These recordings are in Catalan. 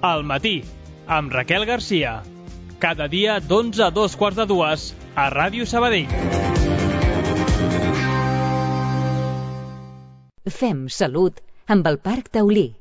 Al matí, amb Raquel Garcia. Cada dia d'11 a 2:45 a Ràdio Sabadell. Fem salut amb el Parc Taulí.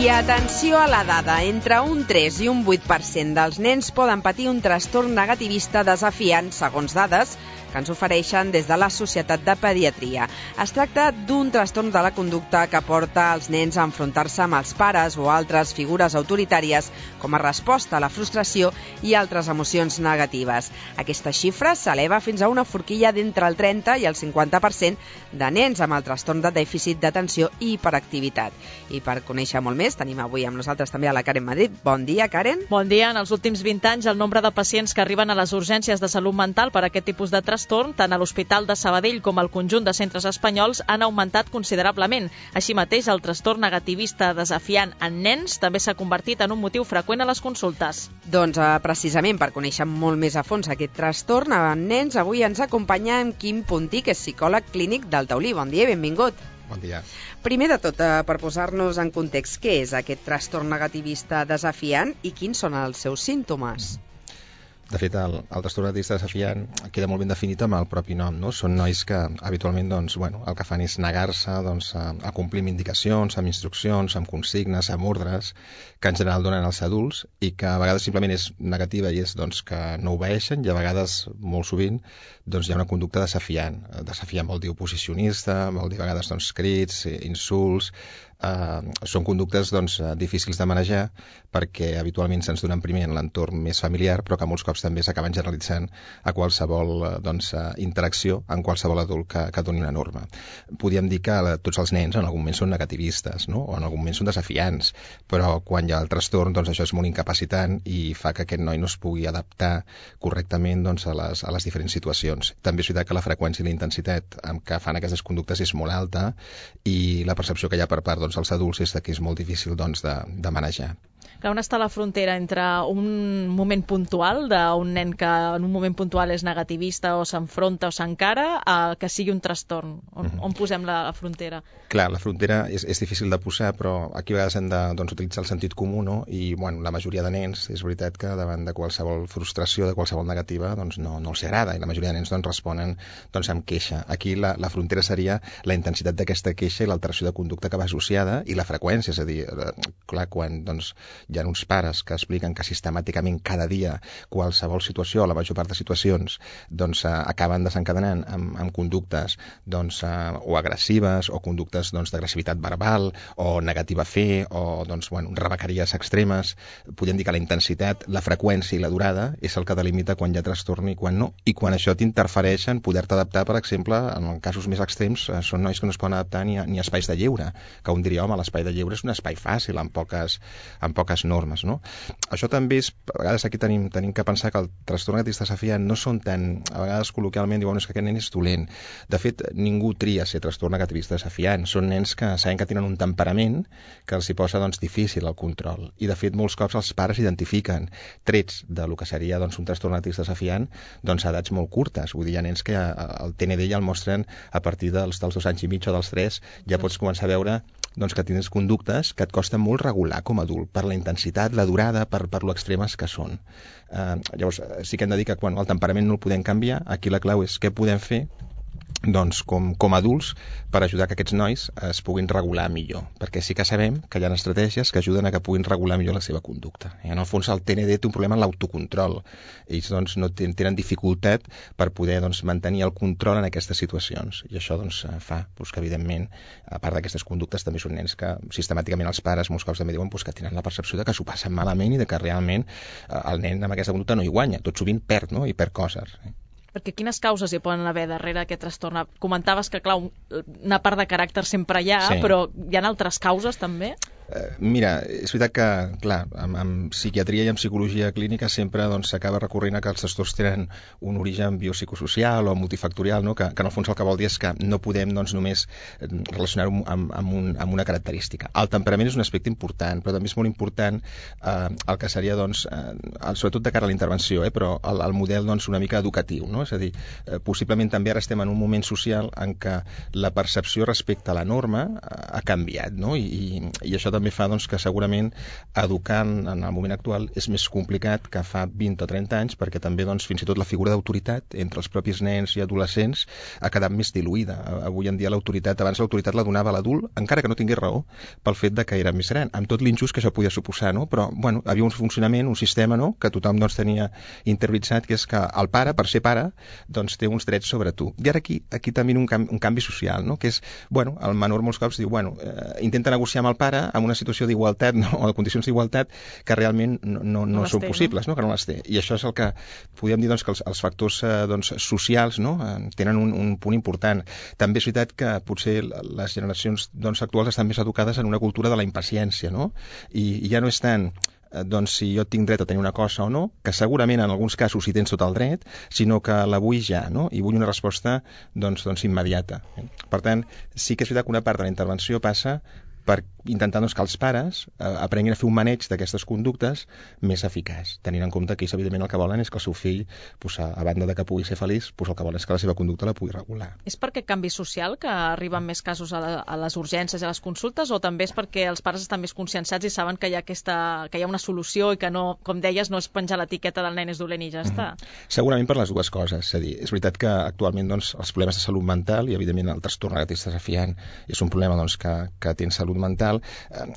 I atenció a la dada, entre un 3 i un 8% dels nens poden patir un trastorn negativista desafiant, segons dades que ens ofereixen des de la Societat de Pediatria. Es tracta d'un trastorn de la conducta que porta els nens a enfrontar-se amb els pares o altres figures autoritàries com a resposta a la frustració i altres emocions negatives. Aquesta xifra s'eleva fins a una forquilla d'entre el 30 i el 50% de nens amb el trastorn de dèficit d'atenció i hiperactivitat. I per conèixer molt més, tenim avui amb nosaltres també a la Karen Madrid. Bon dia, Karen. Bon dia. En els últims 20 anys, el nombre de pacients que arriben a les urgències de salut mental per aquest tipus de trastorn, tant a l'Hospital de Sabadell com al conjunt de centres espanyols, han augmentat considerablement. Així mateix, el trastorn negativista desafiant en nens també s'ha convertit en un motiu freqüent a les consultes. Doncs precisament per conèixer molt més a fons aquest trastorn en nens, avui ens acompanya en Quim Puntí, que és psicòleg clínic del Taulí. Bon dia i benvingut. Bon dia. Primer de tot, per posar-nos en context, què és aquest trastorn negativista desafiant i quins són els seus símptomes? De fet, el trastorn negativista desafiant queda molt ben definit amb el propi nom, no? Són nois que habitualment el que fan és negar-se a complir amb indicacions, amb instruccions, amb consignes, amb ordres, que en general donen als adults i que a vegades simplement és negativa i és que no obeeixen, i a vegades, molt sovint, hi ha una conducta desafiant. Desafiant vol dir oposicionista, vol dir a vegades crits, insults. Són conductes difícils de manejar perquè habitualment se'ns donen primer en l'entorn més familiar, però que molts cops també s'acaben generalitzant a qualsevol interacció amb qualsevol adult que doni una norma. Podríem dir que tots els nens en algun moment són negativistes, no? O en algun moment són desafiants, però quan hi ha el trastorn això és molt incapacitant i fa que aquest noi no es pugui adaptar correctament a les diferents situacions. També és veritat que la freqüència i la intensitat amb què fan aquestes conductes és molt alta i la percepció que hi ha per part els adults és que és molt difícil de manejar. On està la frontera entre un moment puntual d'un nen que en un moment puntual és negativista o s'enfronta o s'encara a que sigui un trastorn? On posem la frontera? Clar, la frontera és difícil de posar, però aquí a vegades hem d'utilitzar el sentit comú, no? I la majoria de nens, és veritat que davant de qualsevol frustració, de qualsevol negativa, no els agrada, i la majoria de nens responen amb queixa. Aquí la frontera seria la intensitat d'aquesta queixa i l'alteració de conducta que va associada i la freqüència, és a dir, clar, quan hi ha uns pares que expliquen que sistemàticament cada dia qualsevol situació, la major part de situacions, acaben desencadenant amb conductes o agressives o conductes d'agressivitat verbal o negativa fe o rebequeries extremes. Podem dir que la intensitat, la freqüència i la durada és el que delimita quan hi ha trastorn i quan no. I quan això t'interfereix en poder-te adaptar, per exemple, en casos més extrems, són nois que no es poden adaptar ni a espais de lleure, que un diria, home, l'espai de lleure és un espai fàcil, amb poques normes, no? Això també és, a vegades aquí tenim que pensar que el trastorn negativista desafiant no són tan, a vegades col·loquialment diuen que aquest nen és dolent. De fet, ningú tria ser trastorn negativista desafiant. Són nens que saben que tenen un temperament que els hi posa difícil el control. I de fet, molts cops els pares identifiquen trets del que seria un trastorn negativista desafiant a edats molt curtes. Vull dir, hi ha nens que el TND ja el mostren a partir dels 2 anys i mig o dels 3, ja pots començar a veure que tens conductes que et costa molt regular com a adult, per la intensitat, la durada, per lo extremes que són. Llavors, sí que hem de dir que quan el temperament no el podem canviar, aquí la clau és què podem fer com a adults per ajudar que aquests nois es puguin regular millor, perquè sí que sabem que hi ha estratègies que ajuden a que puguin regular millor la seva conducta. En el fons el TND té un problema en l'autocontrol. Ells no tenen dificultat per poder mantenir el control en aquestes situacions, i això fa que evidentment, a part d'aquestes conductes, també són nens que sistemàticament els pares molts cops també diuen que tenen la percepció de que s'ho passen malament i de que realment el nen amb aquesta conducta no hi guanya, tot sovint perd, no? I perd coses. Perquè quines causes hi poden haver darrere aquest trastorn? Comentaves que, clar, una part de caràcter sempre hi ha, sí. Però hi ha altres causes també? Mira, és veritat que, clar, amb psiquiatria i amb psicologia clínica sempre s'acaba recorrent a que els trastorns tenen un origen biopsicosocial o multifactorial, no? Que en el fons el que vol dir és que no podem només relacionar-ho amb una característica. El temperament és un aspecte important, però també és molt important el que seria, sobretot de cara a la intervenció, però el model una mica educatiu, no? És a dir, possiblement també ara estem en un moment social en què la percepció respecte a la norma ha canviat, no? I això també fa que segurament educar en el moment actual és més complicat que fa 20 o 30 anys, perquè també fins i tot la figura d'autoritat entre els propis nens i adolescents ha quedat més diluïda. Avui en dia abans l'autoritat la donava l'adult, encara que no tingués raó, pel fet de que era més gran, amb tot l'injust que això podia suposar, no? Però havia un funcionament, un sistema, no? Que tothom tenia interioritzat, que és que el pare, per ser pare, té uns drets sobre tu. I ara aquí també un canvi social, no? Que és, el menor molts cops diu, intenta negociar amb el pare amb una situació d'igualtat, no? O de condicions d'igualtat que realment no són possibles, no? Que no les té. I això és el que podríem dir que els factors socials, no? Tenen un punt important. També és veritat que potser les generacions actuals estan més educades en una cultura de la impaciència, no? I ja no és tant si jo tinc dret a tenir una cosa o no, que segurament en alguns casos hi tens tot el dret, sinó que la vull ja, no? I vull una resposta immediata. Per tant, sí que és veritat que una part de la intervenció passa per intentar que els pares aprenguin a fer un maneig d'aquestes conductes més eficaç, tenint en compte que ells evidentment el que volen és que el seu fill, a banda de que pugui ser feliç, el que volen és que la seva conducta la pugui regular. És per aquest canvi social que arriben més casos a les urgències i a les consultes, o també és perquè els pares estan més conscienciats i saben que hi ha una solució i que no, com deies, no és penjar l'etiqueta del nen és dolent i ja està? Segurament per les dues coses. És a dir, és veritat que actualment els problemes de salut mental i evidentment el trastorn negatiu desafiant és un problema que té en salut mental.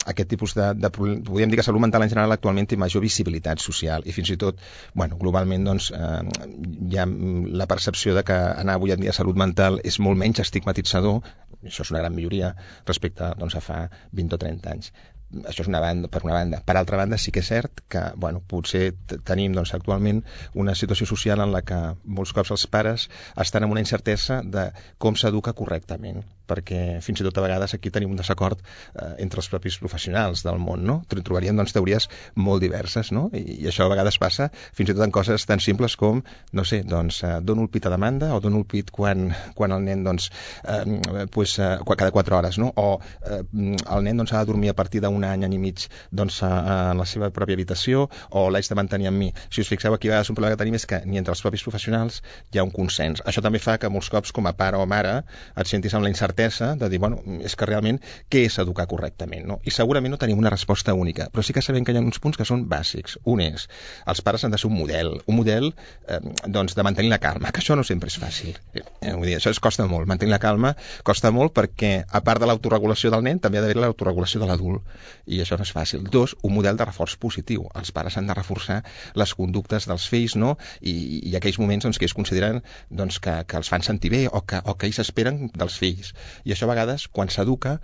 Aquest tipus podríem dir que salut mental en general actualment té major visibilitat social i fins i tot, globalment hi ha la percepció de que anar avui en dia a salut mental és molt menys estigmatitzador. Això és una gran majoria respecte a fa 20 o 30 anys. Això és per una banda. Per altra banda, sí que és cert que potser tenim actualment una situació social en la que molts cops els pares estan amb una incertesa de com s'educa correctament, perquè fins i tot a vegades aquí tenim un desacord entre els propis professionals del món, no? Trobaríem teories molt diverses, no? I això a vegades passa fins i tot en coses tan simples com, no sé, dono el pit a demanda o dono el pit quan el nen cada 4 hores, no? O el nen ha de dormir a partir d'un any i mig en la seva pròpia habitació, o l'haig de mantenir amb mi. Si us fixeu, aquí a vegades un problema que tenim és que ni entre els propis professionals hi ha un consens. Això també fa que molts cops com a pare o mare et sentis amb la incertesa de dir, és que realment què és educar correctament, no? I segurament no tenim una resposta única, però sí que sabem que hi ha uns punts que són bàsics. Un és, els pares han de ser un model de mantenir la calma, que això no sempre és fàcil. Vull dir, això costa molt, mantenir la calma costa molt perquè, a part de l'autoregulació del nen, també ha d'haver l'autoregulació de l'adult. I això no és fàcil. 2, un model de reforç positiu. Els pares han de reforçar les conductes dels fills, no? I aquells moments que ells consideren que els fan sentir bé o que ells esperen dels fills. I això a vegades, quan s'educa,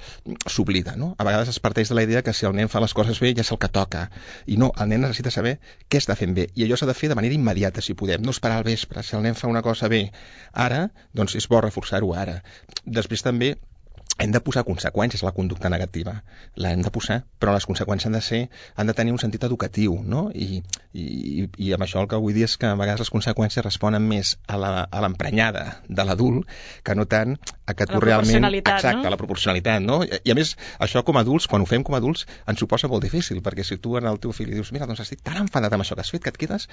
s'oblida, no? A vegades es parteix de la idea que si el nen fa les coses bé ja és el que toca. I no, el nen necessita saber què està fent bé. I allò s'ha de fer de manera immediata, si podem. No esperar al vespre. Si el nen fa una cosa bé ara, és bo reforçar-ho ara. Després també hem de posar conseqüències a la conducta negativa. L'hem de posar, però les conseqüències han de tenir un sentit educatiu, no? I amb això el que vull dir és que a vegades les conseqüències responen més a l'emprenyada de l'adult que no tant a que tu realment... Exacte, a la proporcionalitat, no? I a més, això com a adults, quan ho fem com a adults, ens ho posa molt difícil, perquè si tu al teu fill li dius, mira, estic tan enfadat amb això que has fet que et quedes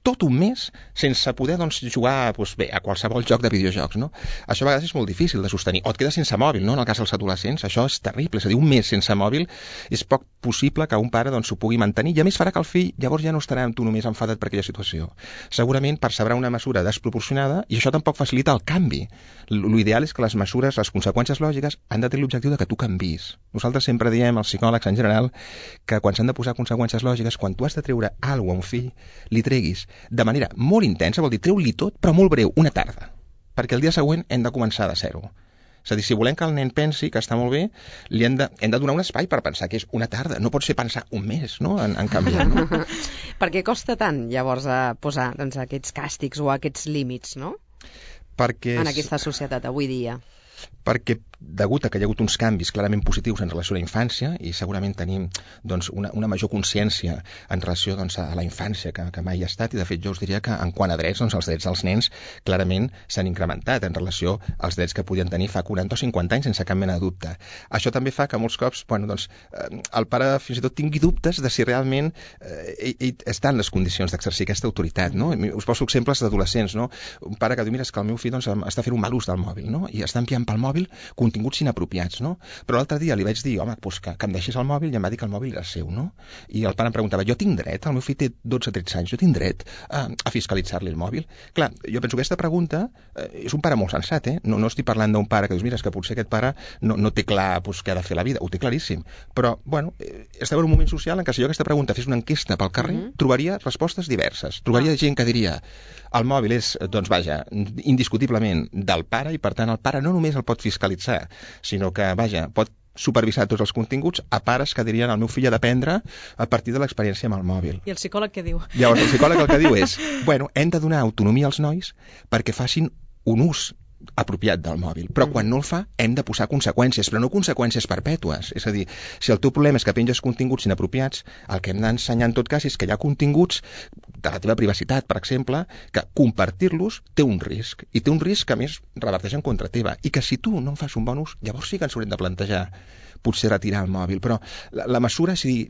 tot un mes sense poder jugar a qualsevol joc de videojocs, no? Això a vegades és molt difícil de sostenir. O et quedes sense mòbil, no? En el cas dels adolescents, això és terrible. És a dir, un mes sense mòbil és poc possible que un pare s'ho pugui mantenir, i a més farà que el fill llavors ja no estarà amb tu només enfadat per aquella situació. Segurament percebrà una mesura desproporcionada i això tampoc facilita el canvi. L'ideal és que les mesures, les conseqüències lògiques han de tenir l'objectiu de que tu canvis. Nosaltres sempre diem, els psicòlegs en general, que quan s'han de posar conseqüències lògiques, quan tu has de treure alguna cosa a un fill, li treguis de manera molt intensa, vol dir, treu-li tot, però molt breu, una tarda, perquè el dia següent hem de començar de zero. És a dir, si volem que el nen pensi que està molt bé, hem de donar un espai per pensar que és una tarda. No pot ser pensar un mes, no?, en canviar. No? Per què costa tant, llavors, posar aquests càstigs o aquests límits, no? En aquesta societat avui dia. Perquè degut a que hi ha hagut uns canvis clarament positius en relació a la infància, i segurament tenim doncs, una major consciència en relació doncs, a la infància que mai ha estat, i de fet jo us diria que en quant a drets, doncs, els drets dels nens clarament s'han incrementat en relació als drets que podien tenir fa 40 o 50 anys sense cap mena de dubte. Això també fa que molts cops el pare fins i tot tingui dubtes de si realment ell està en les condicions d'exercir aquesta autoritat. No? Us poso exemples d'adolescents. No? Un pare que diu, mira, és que el meu fill doncs, està fent un mal ús del mòbil, no? I està enviant pel mòbil continguts inapropiats. No? Però l'altre dia li vaig dir, home, doncs que em deixis el mòbil, i em va dir que el mòbil era seu. No? I el pare em preguntava, jo tinc dret, el meu fill té 12-13 anys, jo tinc dret a fiscalitzar-li el mòbil? Clar, jo penso que aquesta pregunta és un pare molt sensat, no estic parlant d'un pare que dius, mira, és que potser aquest pare no té clar què ha de fer la vida, ho té claríssim. Però, bueno, estem en un moment social en què si jo aquesta pregunta fes una enquesta pel carrer, trobaria respostes diverses. Trobaria gent que diria, el mòbil és, doncs vaja, indiscutiblement del pare, i per tant el pare no només el pot fiscalitzar, sinó que, vaja, pot supervisar tots els continguts, a pares que dirien el meu fill ha d'aprendre a partir de l'experiència amb el mòbil. I el psicòleg què diu? Llavors, el psicòleg el que diu és, bueno, hem de donar autonomia als nois perquè facin un ús apropiat del mòbil, però quan no el fa hem de posar conseqüències, però no conseqüències perpètues. És a dir, si el teu problema és que penges continguts inapropiats, el que hem d'ensenyar en tot cas és que hi ha continguts de la teva privacitat, per exemple, que compartir-los té un risc, i té un risc que a més reverteix en contra teva, i que si tu no en fas un bon ús, llavors sí que ens haurem de plantejar potser retirar el mòbil. Però la mesura, és a dir,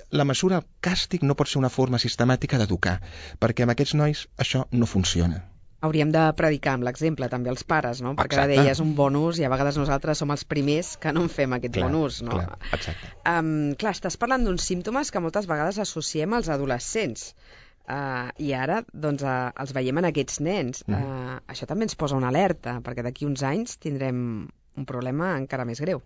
la mesura, el càstig no pot ser una forma sistemàtica d'educar, perquè amb aquests nois això no funciona. Hauríem de predicar amb l'exemple també els pares, no? Perquè Exacte. deies un bon ús i a vegades nosaltres som els primers que no en fem aquest bon ús, no? Clar, exacte. Clar, estàs parlant d'uns símptomes que moltes vegades associem als adolescents. I ara doncs, els veiem en aquests nens. Això també ens posa una alerta, perquè d'aquí uns anys tindrem un problema encara més greu.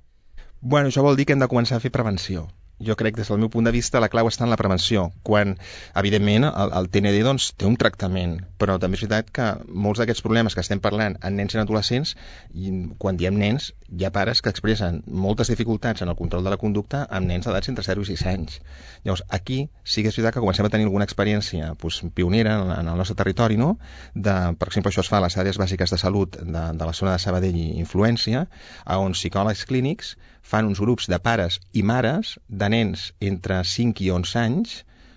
Bueno, això vol dir que hem de començar a fer prevenció. Jo crec, des del meu punt de vista, la clau està en la prevenció, quan, evidentment, el TND doncs, té un tractament, però també és veritat que molts d'aquests problemes que estem parlant en nens i en adolescents, i quan diem nens, hi ha pares que expressen moltes dificultats en el control de la conducta amb nens d'edats entre 0 i 6 anys. Llavors, aquí sí que és veritat que comencem a tenir alguna experiència pionera en el nostre territori, no? Per exemple, això es fa a les àrees bàsiques de salut de la zona de Sabadell i Influència, on psicòlegs clínics fan uns grups de pares i mares de nens entre 5 i 11 anys,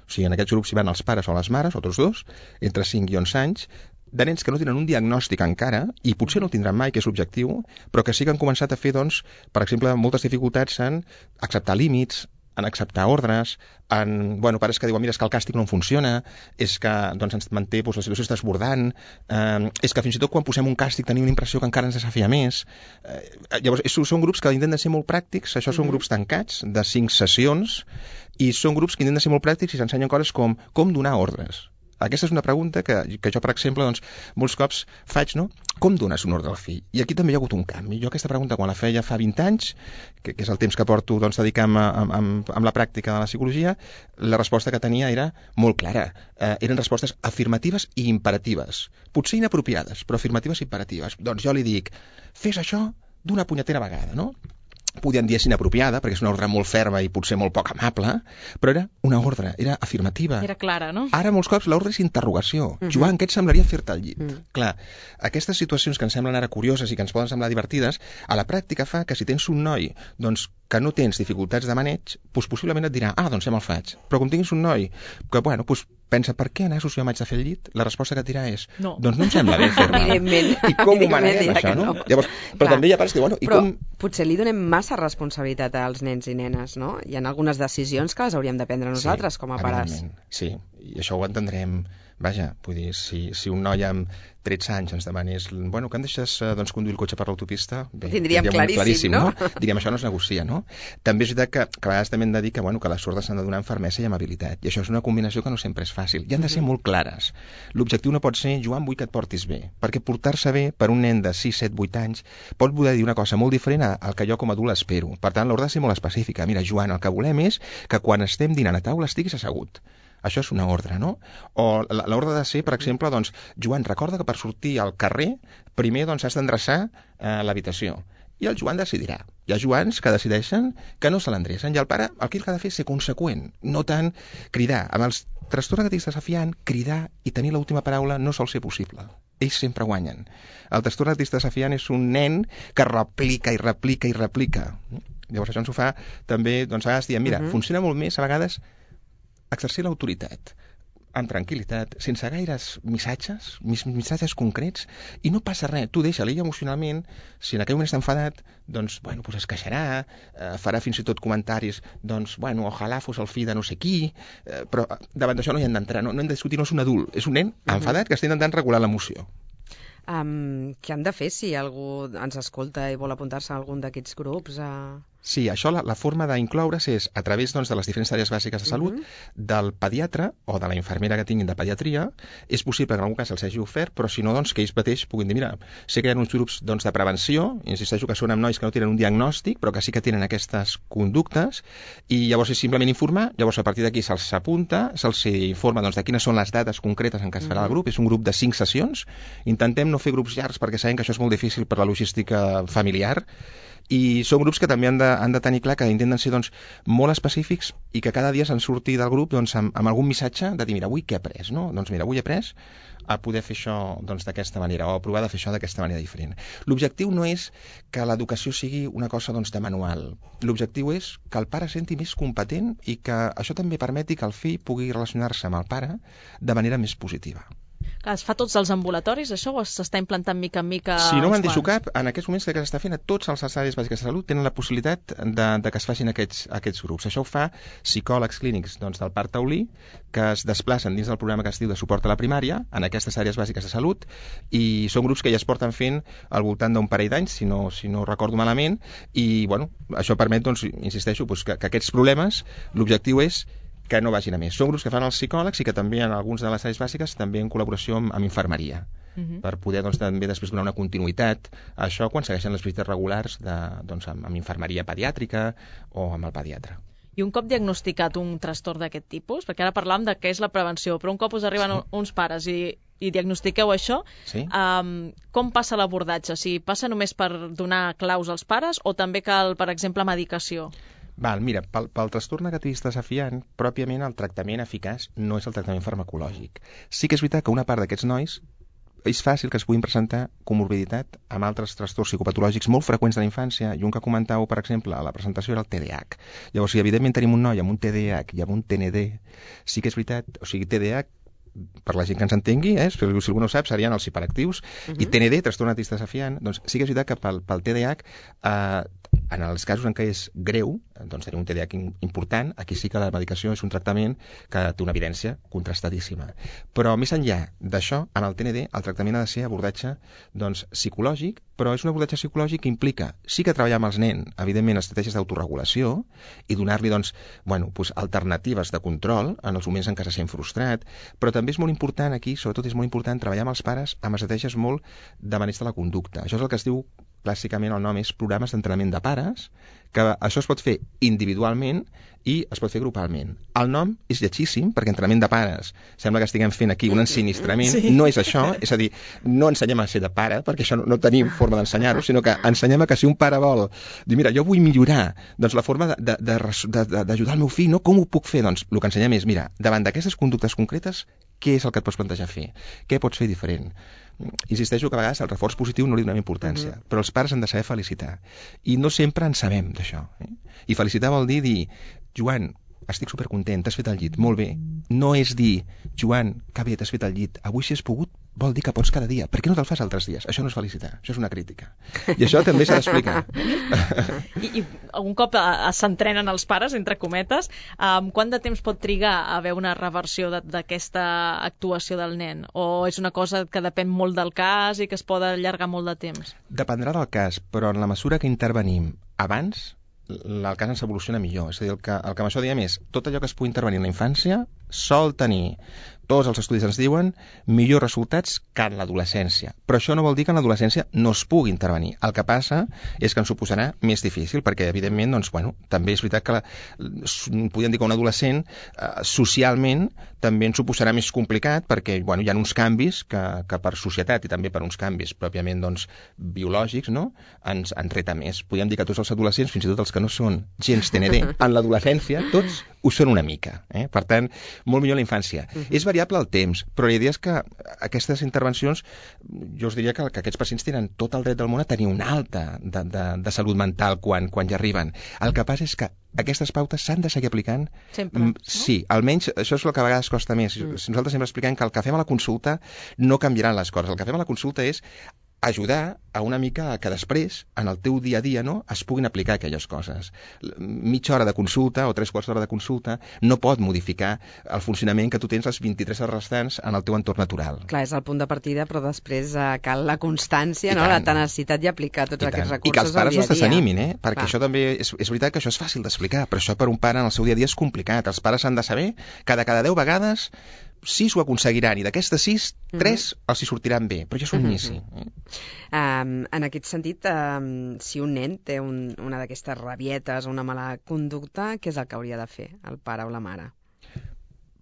o sigui, en aquests grups hi van els pares o les mares, o tots dos, entre 5 i 11 anys, de nens que no tenen un diagnòstic encara, i potser no el tindran mai, que és l'objectiu, però que sí que han començat a fer, doncs, per exemple, moltes dificultats en acceptar límits, en acceptar ordres, pares que diuen, mira, és que el càstig no funciona, és que doncs, ens manté, doncs, la situació està desbordant, és que fins i tot quan posem un càstig tenim la impressió que encara ens desafia més. Llavors, són grups que intenten ser molt pràctics, això són grups tancats, de 5 sessions, i són grups que intenten ser molt pràctics i s'ensenyen coses com donar ordres. Aquesta és una pregunta que jo, per exemple, doncs, molts cops faig, no? Com dones un ordre al fill? I aquí també hi ha hagut un canvi. Jo aquesta pregunta, quan la feia fa 20 anys, que és el temps que porto doncs, dedicant amb la pràctica de la psicologia, la resposta que tenia era molt clara. Eren respostes afirmatives i imperatives. Potser inapropiades, però afirmatives i imperatives. Doncs jo li dic, fes això d'una punyetera vegada, no? Podien dir inapropiada, perquè és una ordre molt ferma i potser molt poc amable, però era una ordre, era afirmativa. Era clara, no? Ara molts cops l'ordre és interrogació. Joan, què et semblaria fer-te al llit? Clar, aquestes situacions que ens semblen ara curioses i que ens poden semblar divertides, a la pràctica fa que si tens un noi doncs, que no tens dificultats de maneig, doncs possiblement et dirà, doncs ja me'l faig. Però com tinguis un noi que, doncs pensa, per què anar-ho si jo m'haig de fer el llit? La resposta que et dirà és, no. Doncs no em sembla bé fer-me. Evidentment. I com ho maneguem, això, no? Llavors, però també hi ha pares que diuen, però potser li donem massa responsabilitat als nens i nenes, no? Hi ha algunes decisions que les hauríem de prendre nosaltres com a pares. Sí, i això ho entendrem. Vaja, vull dir, si un noi amb 13 anys ens demanés, que em deixes conduir el cotxe per l'autopista, bé, tindríem claríssim, no? Diríem, això no es negocia, no? També és veritat que a vegades també hem de dir que les ordres s'han de donar amb fermesa i amabilitat, i això és una combinació que no sempre és fàcil, i han de ser molt clares. L'objectiu no pot ser, Joan, vull que et portis bé, perquè portar-se bé per un nen de 6, 7, 8 anys pot voler dir una cosa molt diferent al que jo com a adult espero. Per tant, l'ordre ha de ser molt específica. Mira, Joan, el que volem és que quan estem dinant a taula estiguis assegut. Això és una ordre, no? O l'ordre de ser, per exemple, Joan, recorda que per sortir al carrer primer has d'endreçar l'habitació. i el Joan decidirà. Hi ha Joans que decideixen que no se l'endrecen, i el pare el que ha de fer és ser conseqüent, no tant cridar. Amb els trastorns negatius desafiant, cridar i tenir l'última paraula no sol ser possible. Ells sempre guanyen. El trastorn negatiu desafiant és un nen que replica i replica i replica. Llavors això ens ho fa també, doncs a vegades diem, mira, funciona molt més a vegades exercir l'autoritat amb tranquil·litat, sense gaires missatges concrets, i no passa res. Tu deixa-li emocionalment, si en aquell moment està enfadat, doncs, bueno, es queixarà, farà fins i tot comentaris, doncs, bueno, ojalà fos el fill de no sé qui, però davant d'això no hi hem d'entrar, no hem de discutir, no és un adult, és un nen enfadat que està intentant regular l'emoció. Què han de fer si algú ens escolta i vol apuntar-se a algun d'aquests grups? Sí, això la forma d'incloure's és a través doncs, de les diferents àrees bàsiques de salut, del pediatre o de la infermera que tinguin de pediatria. És possible que en algun cas els hagi ofert, però si no, doncs, que ells mateix puguin dir, mira, sé que hi ha uns grups doncs, de prevenció, insisteixo que són amb nois que no tenen un diagnòstic, però que sí que tenen aquestes conductes, i llavors és simplement informar, llavors a partir d'aquí se'ls apunta, se'ls informa doncs, de quines són les dates concretes en què es farà el grup. És un grup de 5 sessions. Intentem no fer grups llargs perquè sabem que això és molt difícil per la logística familiar, i són grups que també han de tenir clar que intenten ser doncs, molt específics i que cada dia se'n surti del grup doncs, amb algun missatge de dir, mira, avui què he après? No? Doncs mira, avui he après a poder fer això doncs, d'aquesta manera, o a provar de fer això d'aquesta manera diferent. L'objectiu no és que l'educació sigui una cosa doncs, de manual. L'objectiu és que el pare senti més competent i que això també permeti que el fill pugui relacionar-se amb el pare de manera més positiva. Es fa tots els ambulatoris, això, o s'està implantant mica en mica? Si no me'n deixo cap, en aquests moments que s'està fent a tots els àrees bàsiques de salut tenen la possibilitat de que es facin aquests grups. Això ho fa psicòlegs clínics doncs, del Parc Taulí, que es desplacen dins del programa que es diu de suport a la primària, en aquestes àrees bàsiques de salut, i són grups que ja es porten fent al voltant d'un parell d'anys, si no recordo malament, i bueno, això permet, doncs, insisteixo, doncs, que aquests problemes, l'objectiu és que no vagin a més. Són grups que fan els psicòlegs i que també en alguns de les àrees bàsiques també en col·laboració amb infermeria, per poder doncs, també després donar una continuïtat a això quan segueixen les visites regulars doncs, amb infermeria pediàtrica o amb el pediatre. I un cop diagnosticat un trastorn d'aquest tipus, perquè ara parlàvem de què és la prevenció, però un cop us arriben uns pares i diagnostiqueu això, com passa l'abordatge? Si passa només per donar claus als pares o també cal, per exemple, medicació? Mira, pel trastorn negatiu desafiant, pròpiament el tractament eficaç no és el tractament farmacològic. Sí que és veritat que una part d'aquests nois és fàcil que es puguin presentar comorbiditat amb altres trastorns psicopatològics molt freqüents de la infància, i un que comentàveu, per exemple, a la presentació era el TDAH. Llavors, si evidentment tenim un noi amb un TDAH i amb un TND, sí que és veritat, o sigui, TDAH, per la gent que ens entengui, si algú no ho sap, serien els hiperactius, i TND, trastorn negatiu desafiant, doncs sí que és veritat que pel TDAH, en els casos en què és greu, doncs tenir un TDAH important, aquí sí que la medicació és un tractament que té una evidència contrastadíssima. Però més enllà d'això, en el TND el tractament ha de ser abordatge doncs, psicològic, però és un abordatge psicològic que implica sí que treballar amb els nens, evidentment, estratègies d'autoregulació i donar-li doncs, alternatives de control en els moments en què se sent frustrat, però també és molt important aquí, sobretot és molt important treballar amb els pares amb estratègies molt de maneig de la conducta. Això és el que es diu clàssicament, el nom és programes d'entrenament de pares, que això es pot fer individualment i es pot fer grupalment. El nom és lletgíssim, perquè entrenament de pares sembla que estiguem fent aquí un ensinistrament. No és això, és a dir, no ensenyem a ser de pare, perquè això no tenim forma d'ensenyar-ho, sinó que ensenyem a que si un pare vol dir, mira, jo vull millorar doncs, la forma d'ajudar el meu fill, no? Com ho puc fer? Doncs el que ensenyem és, mira, davant d'aquestes conductes concretes, què és el que et pots plantejar fer? Què pots fer diferent? Insisteixo que a vegades el reforç positiu no li donem importància, però els pares han de saber felicitar. I no sempre en sabem d'això. I felicitar vol dir, Joan, estic supercontent, t'has fet el llit, molt bé. No és dir, Joan, que bé, t'has fet el llit, avui si has pogut, vol dir que pots cada dia. Per què no te'l fas altres dies? Això no és felicitar, això és una crítica. I això també s'ha d'explicar. I un cop s'entrenen els pares, entre cometes, quant de temps pot trigar a haver una reversió d'aquesta actuació del nen? O és una cosa que depèn molt del cas i que es pot allargar molt de temps? Dependrà del cas, però en la mesura que intervenim abans, el cas ens evoluciona millor. És a dir, el que amb això diem és tot allò que es pugui intervenir en la infància sol tenir, tots els estudis ens diuen, millors resultats que en l'adolescència. Però això no vol dir que en l'adolescència no es pugui intervenir. El que passa és que ens ho posarà més difícil, perquè evidentment, doncs, també és veritat que podríem dir que un adolescent socialment també ens ho posarà més complicat perquè hi ha uns canvis que per societat i també per uns canvis pròpiament biològics, no? ens reta més. Podríem dir que tots els adolescents, fins i tot els que no són gens TND, en l'adolescència tots ho són una mica. Per tant, molt millor la infància. És variable el temps, però la idea és que aquestes intervencions, jo us diria que aquests pacients tenen tot el dret del món a tenir una alta de salut mental quan ja arriben. El que passa és que aquestes pautes s'han de seguir aplicant sempre. Sí, almenys això és el que a vegades costa més. Nosaltres sempre expliquem que el que fem a la consulta no canviaran les coses. El que fem a la consulta és ajudar a una mica que després, en el teu dia a dia, no, es puguin aplicar aquelles coses. Mitja hora de consulta o 3/4 d'hora de consulta no pot modificar el funcionament que tu tens les 23 hores restants en el teu entorn natural. Clar, és el punt de partida, però després cal la constància, no? La tenacitat i aplicar tots aquests recursos i que els pares no es desanimin, perquè Va. això també és veritat que això és fàcil d'explicar, però això per un pare en el seu dia a dia és complicat. Els pares han de saber que de cada 10 vegades 6 ho aconseguiran i d'aquestes 6, 3 els hi sortiran bé, però ja és un inici. En aquest sentit, si un nen té una d'aquestes rabietes o una mala conducta, què és el que hauria de fer el pare o la mare?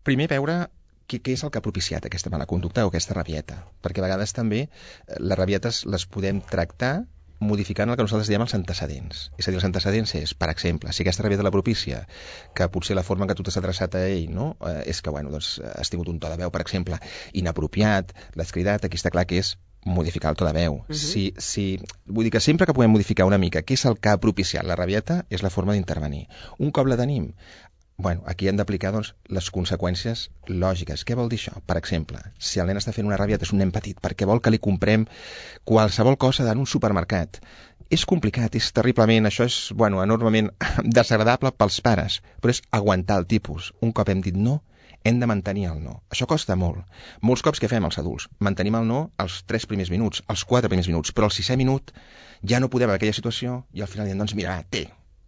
Primer veure què és el que ha propiciat aquesta mala conducta o aquesta rabieta, perquè a vegades també les rabietes les podem tractar modificant el que nosaltres diem els antecedents. És a dir, els antecedents és, per exemple, si aquesta rabieta la propicia, que potser la forma en què tu t'has adreçat a ell, no, és que, has tingut un to de veu, per exemple, inapropiat, l'has cridat, aquí està clar que és modificar el to de veu. Vull dir que sempre que podem modificar una mica què és el que ha propiciat la rabieta, és la forma d'intervenir. Un cop la tenim, aquí hem d'aplicar les conseqüències lògiques. Què vol dir això? Per exemple, si el nen està fent una rabieta, és un nen petit, perquè vol que li comprem qualsevol cosa en un supermercat. És complicat, és terriblement, això és, enormement desagradable pels pares, però és aguantar el tipus. Un cop hem dit no, hem de mantenir el no. Això costa molt. Molts cops què fem els adults? Mantenim el no els 3 primers minuts, els 4 primers minuts, però al 6è minut ja no podem en aquella situació i al final diem, mira,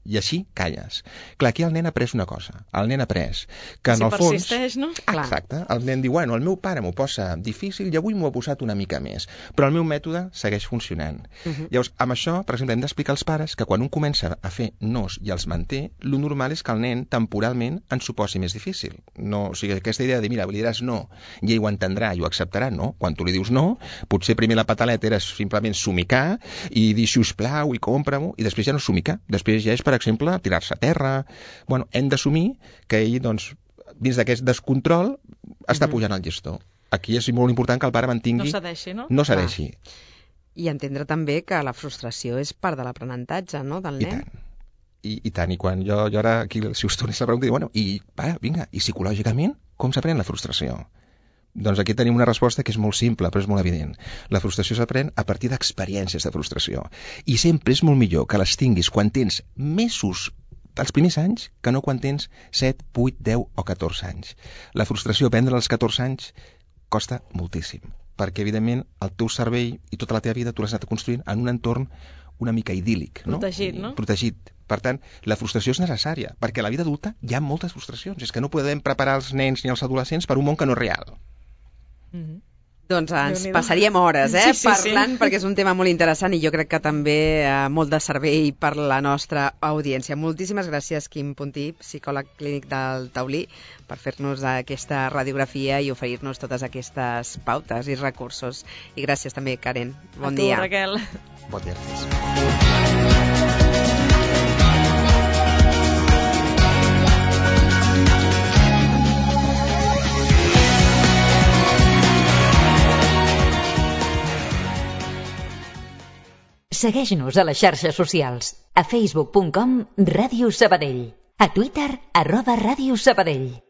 i així calles. Clar, aquí el nen ha après una cosa. El nen ha après que en el fons... Si persisteix, no? Exacte. El nen diu, el meu pare m'ho posa difícil i avui m'ho ha posat una mica més. Però el meu mètode segueix funcionant. Llavors, amb això, per exemple, hem d'explicar als pares que quan un comença a fer nos i els manté, lo normal és que el nen temporalment ens ho posi més difícil. No, o sigui, aquesta idea de, mira, li diràs no i ell ho entendrà i ho acceptarà, no? Quan tu li dius no, potser primer la pataleta era simplement somicar i dir, sisplau, i compra-m'ho, i després ja no somicar. Després ja és, per exemple, tirar-se a terra. Hem d'assumir que ell, dins d'aquest descontrol, està pujant el llestó. Aquí és molt important que el pare mantingui... No cedeixi, no? No cedeixi. I entendre també que la frustració és part de l'aprenentatge, no?, del nen. I tant. I quan jo ara, aquí, si us tornés la pregunta, dic, i psicològicament, com s'aprèn la frustració? Doncs aquí tenim una resposta que és molt simple, però és molt evident. La frustració s'aprèn a partir d'experiències de frustració. I sempre és molt millor que les tinguis quan tens mesos, els primers anys, que no quan tens 7, 8, 10 o 14 anys. La frustració, aprendre als 14 anys, costa moltíssim, perquè, evidentment, el teu cervell i tota la teva vida tu l'has anat construint en un entorn una mica idíl·lic. Protegit, no? Protegit. Per tant, la frustració és necessària, perquè a la vida adulta hi ha moltes frustracions. És que no podem preparar els nens ni els adolescents per un món que no és real. Doncs ens passaríem hores parlant, perquè és un tema molt interessant i jo crec que també molt de servei per la nostra audiència. Moltíssimes gràcies, Quim Puntí, psicòleg clínic del Taulí, per fer-nos aquesta radiografia i oferir-nos totes aquestes pautes i recursos. I gràcies també, Karen. Bon dia. A tu, Raquel. Bon dia. Segueix-nos a les xarxes socials. A facebook.com/Ràdio Sabadell. A Twitter @Ràdio Sabadell.